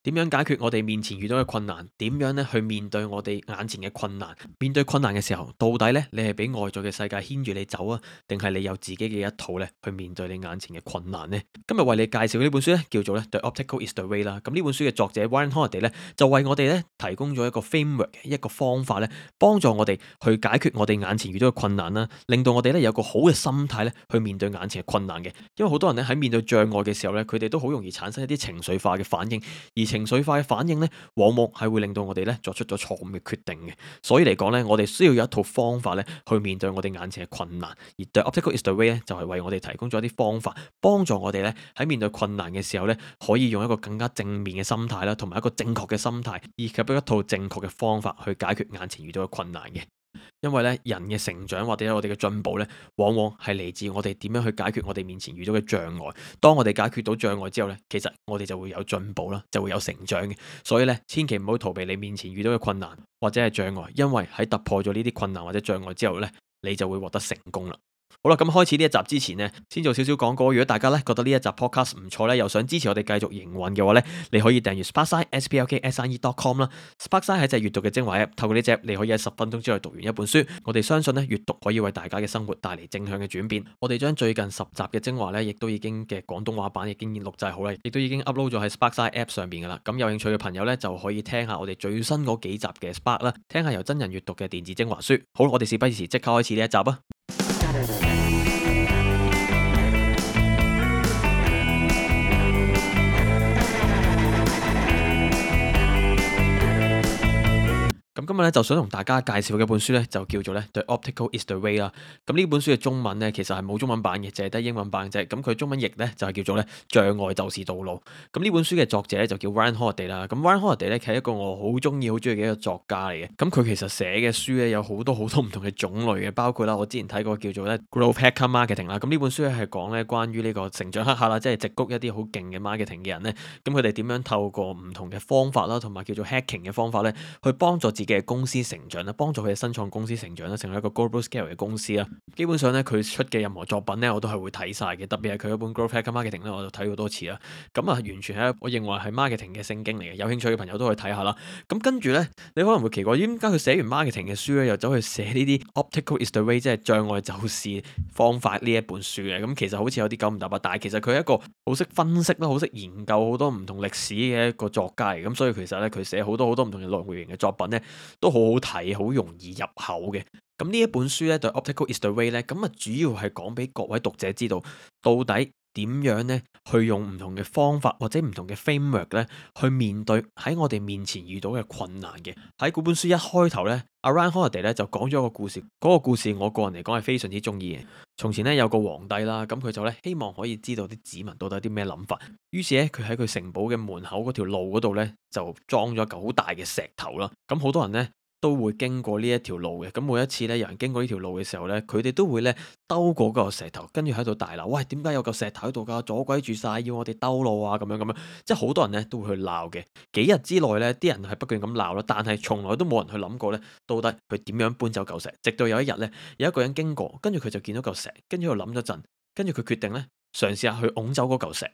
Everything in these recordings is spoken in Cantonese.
點樣解決我哋面前遇到嘅困難？點樣咧去面對我哋眼前嘅困難？面對困難嘅時候，到底咧你係俾外在嘅世界牽住你走啊，定係你有自己嘅一套咧去面對你眼前嘅困難呢？今日為你介紹嘅呢本書咧，叫做咧《The Obstacle Is the Way》啦。咁呢本書嘅作者 Ryan Holiday 咧，就為我哋咧提供咗一個 framework，一個方法咧，幫助我哋去解決我哋眼前遇到嘅困難啦，令到我哋咧有個好嘅心態咧去面對眼前嘅困難嘅。因為好多人咧喺面對障礙嘅時候咧，佢哋都好容易產生一啲情緒化嘅反應，而情緒化嘅反應咧，往往係會令到我哋咧作出咗錯誤嘅決定嘅。所以嚟講咧，我哋需要有一套方法咧，去面對我哋眼前嘅困難。而 The Obstacle Is the Way 咧，就係為我哋提供咗一啲方法，幫助我哋咧喺面對困難嘅時候咧，可以用一個更加正面嘅心態啦，同埋一個正確嘅心態，以及一套正確嘅方法去解決眼前遇到嘅困難嘅。因為咧，人嘅成長或者我哋嘅進步咧，往往係嚟自我哋點樣去解決我哋面前遇到嘅障礙。當我哋解決到障礙之後咧，其實我哋就會有進步啦，就會有成長嘅。所以咧，千祈唔好逃避你面前遇到嘅困難或者係障礙，因為喺突破咗呢啲困難或者障礙之後咧，你就會獲得成功啦。好啦，咁開始呢一集之前呢，先做少少廣告。如果大家咧覺得呢一集 podcast 唔錯咧，又想支持我哋繼續營運嘅話咧，你可以訂閱 Sparkside sparkside.com 啦。Sparkside 係隻閱讀嘅精華 app，透過呢隻你可以喺10分鐘之內讀完一本書。我哋相信咧，閱讀可以為大家嘅生活帶嚟正向嘅轉變。我哋將最近10集嘅精華咧，亦都已經嘅廣東話版已經錄製好啦，亦都已經 upload 咗喺 Sparkside app 上邊噶啦。咁有興趣嘅朋友咧，就可以聽下我哋最新嗰幾集嘅 Spark 啦，聽下由真人閱讀嘅電子精華書。好，我哋事不宜遲，即刻開始呢一集啊！咁今日咧就想同大家介紹嘅一本書咧，就叫做咧《The Obstacle Is the Way》啦。咁呢本書嘅中文咧，其實係冇中文版嘅，淨係得英文版啫。咁佢中文譯咧就係叫做咧障礙就是道路。咁呢本書嘅作者咧就叫 Ryan Holiday 啦。咁 Ryan Holiday 咧係一個我好中意嘅一個作家嚟嘅。咁佢其實寫嘅書咧有好多唔同嘅種類嘅，包括啦我之前睇過叫做咧 Growth Hacker Marketing 啦。咁呢本書咧係講咧關於呢個成長黑客啦，即係矽谷一啲好勁嘅 marketing 嘅人咧，咁佢哋點樣透過唔同嘅方法啦，同埋叫做 hacking 嘅方法咧，去幫助自己嘅公司成長啦，幫助佢嘅新創公司成長啦，成為一個 global scale 嘅公司啦。基本上咧，佢出嘅任何作品咧，我都係會睇晒嘅。特別係佢嗰本 Growth Hacker Marketing 咧，我就睇好多次啦。咁啊，完全係我認為係 marketing 嘅聖經嚟嘅。有興趣嘅朋友都可以睇下啦。咁跟住咧，你可能會奇怪，點解佢寫完 marketing 嘅書咧，又走去寫呢啲 Obstacle Is the Way，即係障礙就是方法呢一本書嘅？咁其實好似有啲九唔搭八，但係其實佢係一個好識分析啦，好識研究好多唔同歷史嘅一個作家嚟。咁所以其實咧，佢寫好多唔同嘅類型嘅作品咧，都好好睇，好容易入口嘅。咁呢一本書咧，對 Obstacle Is the Way 咧，咁啊主要係講俾各位讀者知道，到底點樣咧去用唔同嘅方法或者唔同嘅 framework 咧，去面對喺我哋面前遇到嘅困難嘅。喺嗰本書一開頭咧，阿 Ryan Holiday 咧就講咗一個故事，嗰個故事我個人嚟講係非常之中意嘅。從前咧有個皇帝啦，咁佢就咧希望可以知道啲子民到底有啲咩諗法，於是咧佢喺佢城堡嘅門口嗰條路嗰度咧就裝咗嚿好大嘅石頭啦。咁好多人咧都會經過呢一條路嘅，咁每一次咧有人經過呢條路嘅時候咧，佢哋都會咧兜過嗰個石頭，跟住喺度大鬧，喂，點解有嚿石頭喺度㗎？阻鬼住晒，要我哋兜路啊！咁樣，即係好多人咧都會去鬧嘅。幾日之內咧，啲人係不斷咁鬧啦，但係從來都冇人去諗過咧，到底佢點樣搬走嚿石。直到有一日咧，有一個人經過，跟住佢就見到嚿石，跟住又諗咗陣，跟住佢決定咧嘗試下去拱走嗰嚿石。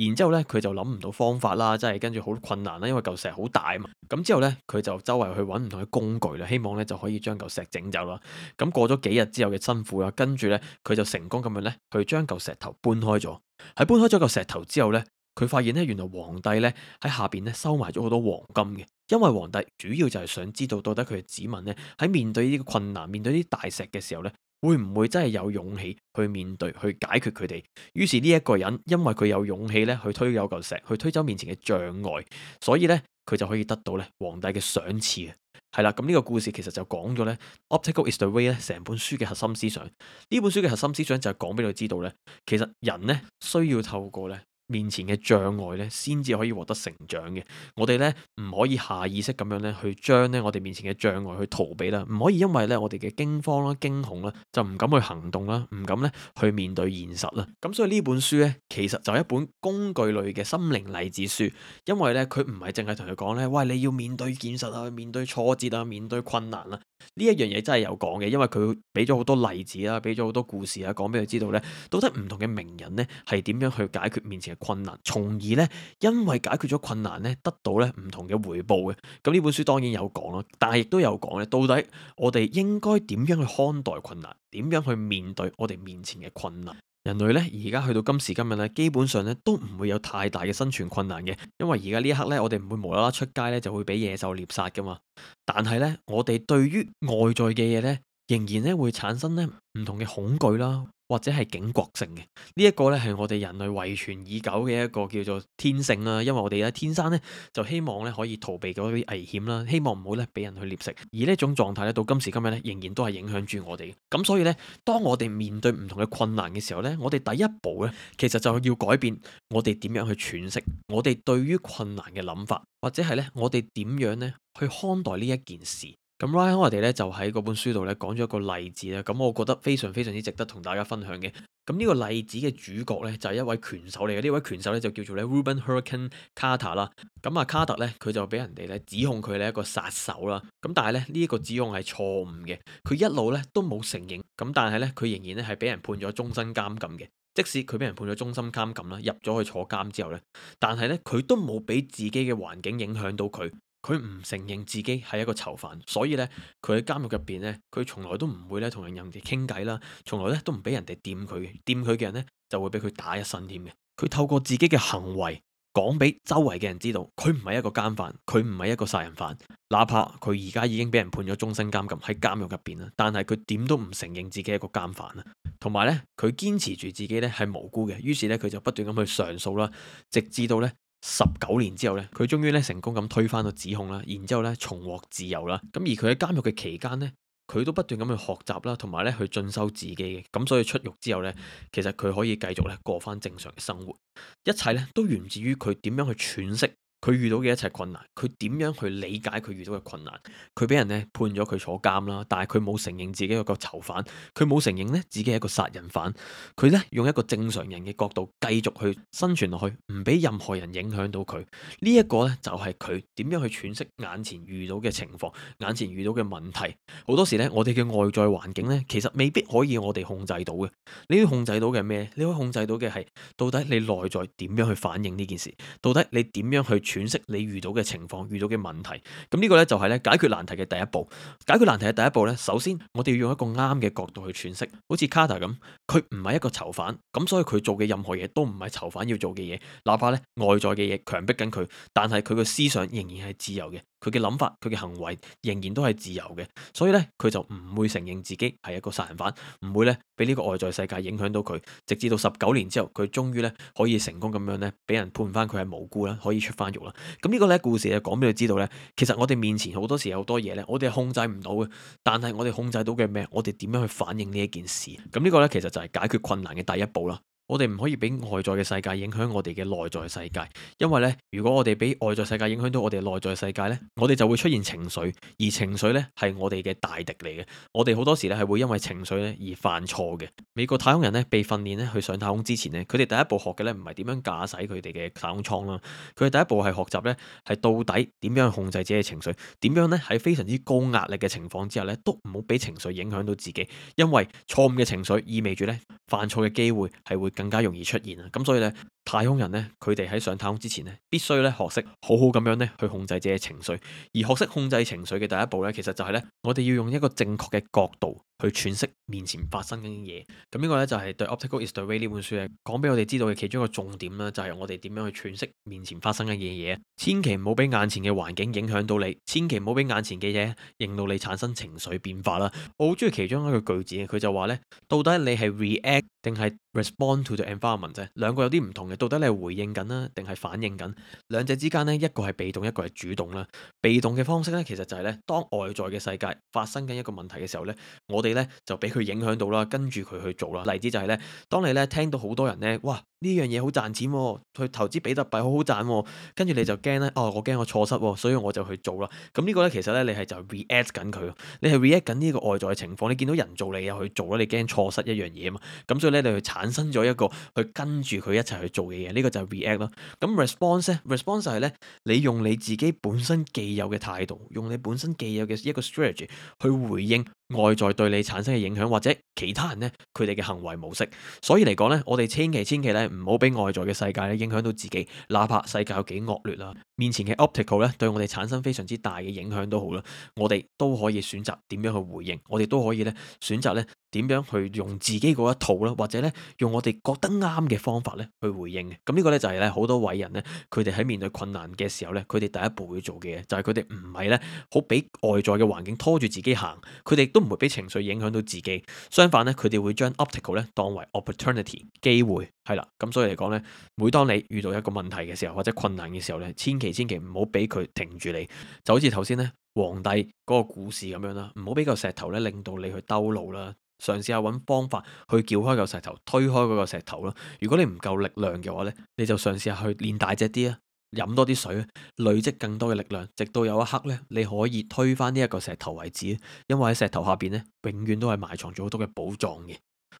然之後咧，佢就諗唔到方法啦，即係跟住好困難啦，因為嚿石好大啊嘛。咁之後咧，佢就周圍去揾唔同嘅工具啦，希望咧就可以將嚿石整走啦。咁過咗幾日之後嘅辛苦啦，跟住咧佢就成功咁樣咧去將嚿石頭搬開咗。喺搬開咗嚿石頭之後咧，佢發現咧原來皇帝咧喺下邊咧收埋咗好多黃金嘅，因為皇帝主要就係想知道到底佢嘅子民咧喺面對呢啲困難、面對呢啲大石嘅時候咧，會唔會真係有勇氣去面對、去解決佢哋？於是呢一個人，因為佢有勇氣咧去推走嚿石，去推走面前嘅障礙，所以咧佢就可以得到咧皇帝嘅賞賜啊！係啦，咁呢個故事其實就講咗咧《Obstacle Is the Way》咧成本書嘅核心思想。呢本書嘅核心思想就係講俾你知道咧，其實人咧需要透過咧面前嘅障礙咧，先至可以獲得成長嘅。我哋咧唔可以下意識咁樣咧去將咧我哋面前嘅障礙去逃避啦，唔可以因為咧我哋嘅驚慌啦、驚恐啦，就唔敢去行動啦，唔敢咧去面對現實啦。咁所以呢本書咧，其實就係一本工具類嘅心靈勵志書，因為咧佢唔係淨係同佢講咧，喂，你要面對現實啊，面對挫折啊，面對困難啊。呢一樣嘢真係有講嘅，因為佢俾咗好多例子啦，俾咗好多故事啊，講俾佢知道呢，到底唔同嘅名人呢係點樣去解決面前嘅困難，從而呢，因為解決咗困難呢，得到呢唔同嘅回報嘅。咁呢本書當然有講咯，但係亦都有講咧，到底我哋應該點樣去看待困難，點樣去面對我哋面前嘅困難。人類咧而家去到今時今日咧，基本上咧都唔會有太大嘅生存困難嘅，因為而家呢一刻咧，我哋唔會無啦啦出街咧就會俾野獸獵殺噶嘛。但係咧，我哋對於外在嘅嘢咧，仍然咧會產生咧唔同嘅恐懼啦，或者係警覺性嘅。呢一個咧係我哋人類遺傳已久嘅一個叫做天性啦，因為我哋咧天生咧就希望咧可以逃避嗰啲危險啦，希望唔好咧俾人去獵食。而呢一種狀態咧到今時今日咧仍然都係影響住我哋。咁所以咧，當我哋面對唔同嘅困難嘅時候咧，我哋第一步咧其實就要改變我哋點樣去詮釋我哋對於困難嘅諗法，或者係咧我哋點樣咧去看待呢一件事。咁 Ryan 我哋咧就喺嗰本書度咧講咗一個例子咧，咁我覺得非常非常之值得同大家分享嘅。咁呢個例子嘅主角咧就係一位拳手嚟嘅，呢位拳手咧就叫做咧 Rubin Hurricane Carter 啦。咁啊卡特咧佢就俾人哋咧指控佢係一個殺手啦。咁但係咧呢一個指控係錯誤嘅，佢一路咧都冇承認。咁但係咧佢仍然咧係俾人判咗終身監禁嘅。即使佢俾人判咗終身監禁啦，入咗去坐監之後咧，但係咧佢都冇俾自己嘅環境影響到佢。佢唔承認自己係一個囚犯，所以咧佢喺監獄入邊咧，佢從來都唔會咧同人哋傾偈啦，從來咧都唔俾人哋掂佢嘅，掂佢嘅人咧就會俾佢打一身添嘅。佢透過自己嘅行為講俾周圍嘅人知道，佢唔係一個奸犯，佢唔係一個殺人犯，哪怕佢而家已經俾人判咗終身監禁喺監獄入邊啦，但係佢點都唔承認自己係一個奸犯啊。同埋咧，佢堅持住自己咧係無辜嘅，於是咧佢就不斷咁去上訴啦，直至到咧19年之後咧，佢終於咧成功咁推翻個指控啦，然之後咧重獲自由啦。咁而佢喺監獄嘅期間咧，佢都不斷咁去學習啦，同埋咧去進修自己嘅。咁所以出獄之後咧，其實佢可以繼續咧過翻正常嘅生活。一切咧都源自於佢點樣去詮釋佢遇到嘅一切困難，佢點樣去理解佢遇到嘅困難。佢俾人咧判咗佢坐監啦，但係佢冇承認自己係個囚犯，佢冇承認咧自己係一個殺人犯。佢咧用一個正常人嘅角度繼續去生存落去，唔俾任何人影響到佢。呢一個咧就係佢點樣去詮釋眼前遇到嘅情況，眼前遇到嘅問題。好多時咧，我哋嘅外在環境咧，其實未必可以我哋控制到嘅。你可以控制到嘅係咩？你可以控制到嘅係到底你內在點樣去反應呢件事，到底你點樣去詮釋你遇到嘅情況、遇到嘅問題。咁呢個咧就係咧解決難題嘅第一步。解決難題嘅第一步咧，首先我哋要用一個啱嘅角度去詮釋。好似 Carter 咁，佢唔係一個囚犯，咁所以佢做嘅任何嘢都唔係囚犯要做嘅嘢。哪怕咧外在嘅嘢強迫緊佢，但係佢嘅思想仍然係自由嘅。佢嘅諗法，佢嘅行為仍然都係自由嘅，所以咧佢就唔會承認自己係一個殺人犯，唔會咧俾呢個外在世界影響到佢，直至到19年之後，佢終於咧可以成功咁樣咧俾人判翻佢係無辜啦，可以出翻獄啦。咁呢個咧故事咧講俾你知道咧，其實我哋面前好多時有好多嘢咧，我哋係控制唔到嘅，但係我哋控制到嘅咩？我哋點樣去反應呢一件事？咁呢個咧其實就係解決困難嘅第一步啦。我哋唔可以俾外在嘅世界影響我哋嘅內在世界，因為咧，如果我哋俾外在世界影響到我哋內在世界咧，我哋就會出現情緒，而情緒咧係我哋嘅大敵嚟嘅。我哋好多時咧係會因為情緒咧而犯錯嘅。美國太空人咧被訓練咧去上太空之前咧，佢哋第一步學嘅咧唔係點樣駕駛佢哋嘅太空艙啦，佢哋第一步係學習咧係到底點樣控制自己嘅情緒，點樣咧喺非常之高壓力嘅情況之下咧都唔好俾情緒影響到自己，因為錯誤嘅情緒意味住咧犯錯嘅機會係會更加容易出現啊！咁所以咧，太空人咧，佢哋喺上太空之前咧，必須咧學識好好咁樣咧去控制自己嘅情緒。而學識控制情緒嘅第一步咧，其實就係咧，我哋要用一個正確嘅角度去詮釋面前發生緊嘅嘢。咁呢個咧就係對《Optical is the Way》呢本書咧講俾我哋知道嘅其中一個重點啦，就係我哋點樣去詮釋面前發生緊嘅嘢。千祈唔好俾眼前嘅環境影響到你，千祈唔好俾眼前嘅嘢令到你產生情緒變化啦。我好中意其中一個句子，佢就話咧，到底你係 react 定係 respond to the environment 啫？兩個有啲唔同嘅，到底你係回應緊啦，定係反應緊？兩者之間呢，一個係被動，一個係主動啦。被動嘅方式咧，其實就係咧，當外在嘅世界發生緊一個問題嘅時候咧，我哋咧就俾佢影響到啦，跟住佢去做啦。例子就係咧，當你咧聽到好多人咧，哇！呢樣嘢好賺錢喎，去投資比特幣好好賺喎，跟住你就驚咧，我驚我錯失喎，所以我就去做啦。咁呢個咧其實咧，你係就 react 緊佢，你係 react 緊呢個外在嘅情況，你見到人做你又去做啦，你驚錯失一樣嘢啊嘛，咁所以咧你去產生咗一個去跟住佢一齊去做嘅嘢，呢個就係 react 咯。咁 response 咧，response 就係咧，你用你自己本身既有嘅態度，用你本身既有嘅一個 strategy 去回應外在對你產生嘅影響，或者其他人咧佢哋嘅行為模式。所以嚟講咧，我哋千祈咧唔好俾外在嘅世界咧影響到自己，哪怕世界有幾惡劣啦，面前嘅 optical 咧對我哋產生非常之大嘅影響都好啦，我哋都可以選擇點樣去回應，我哋都可以咧選擇咧點樣去用自己嗰一套啦，或者咧用我哋覺得啱嘅方法咧去回應嘅。咁呢個咧就係咧好多偉人咧，佢哋喺面對困難嘅時候咧，佢哋第一步會做嘅嘢就係佢哋唔係咧好俾外在嘅環境拖住自己行，佢哋都唔會俾情緒影響到自己。相反咧，佢哋會將 obstacle 咧當為 opportunity 機會，係啦。咁所以嚟講咧，每當你遇到一個問題嘅時候或者困難嘅時候咧，千祈唔好俾佢停住你，就好似頭先咧皇帝嗰個故事咁樣啦，唔好俾個石頭咧令到你去兜路啦。嘗試下揾方法去撬開個石頭，推開嗰個石頭咯。如果你唔夠力量嘅話呢，你就嘗試下去練大隻啲啊，飲多啲水，累積更多嘅力量，直到有一刻呢，你可以推翻呢一個石頭為止。因為喺石頭下邊呢，永遠都係埋藏咗好多嘅寶藏嘅。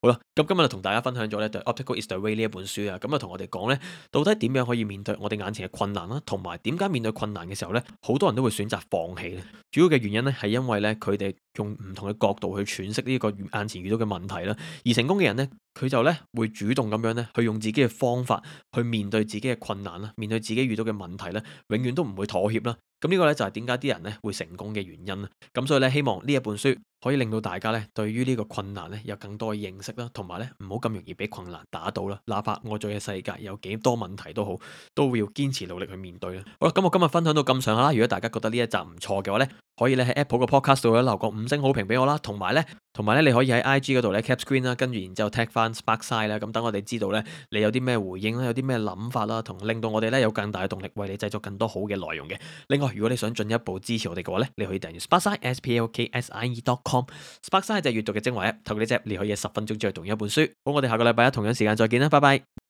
好啦，咁今日就同大家分享咗咧對《Optical is the Way》呢一本書啊，咁啊同我哋講咧，到底點樣可以面對我哋眼前嘅困難啦，同埋點解面對困難嘅時候咧，好多人都會選擇放棄咧。主要嘅原因咧係因為咧佢哋用唔同嘅角度去詮釋呢個眼前遇到嘅問題啦，而成功嘅人咧，佢就咧會主動咁樣咧去用自己嘅方法去面對自己嘅困難啦，面對自己遇到嘅問題咧，永遠都唔會妥協啦。咁呢個咧就係點解啲人咧會成功嘅原因啦。咁所以咧希望呢一本書可以令到大家咧對於呢個困難咧有更多嘅認識啦，同埋咧唔好咁容易俾困難打倒啦。哪怕外在嘅世界有幾多問題都好，都會要堅持努力去面對啦。好啦，咁我今日分享到咁上下啦。如果大家覺得呢一集唔錯嘅話咧，可以咧喺 Apple 個 Podcast 度咧留個5星好評俾我啦，同埋咧你可以喺 IG 嗰度咧 cap screen 啦，跟住然之後 tag 翻 Sparkside 啦，咁等我哋知道咧你有啲咩回應啦，有啲咩諗法啦，同令到我哋咧有更大嘅動力為你製作更多好嘅內容嘅。另外，如果你想進一步支持我哋嘅話咧，你可以訂閱 Sparkside sparkside.com。Sparkside 就係閱讀嘅精華 app，透過呢隻你可以10分鐘之內讀一本書。好，我哋下個禮拜一同樣時間再見啦，拜拜。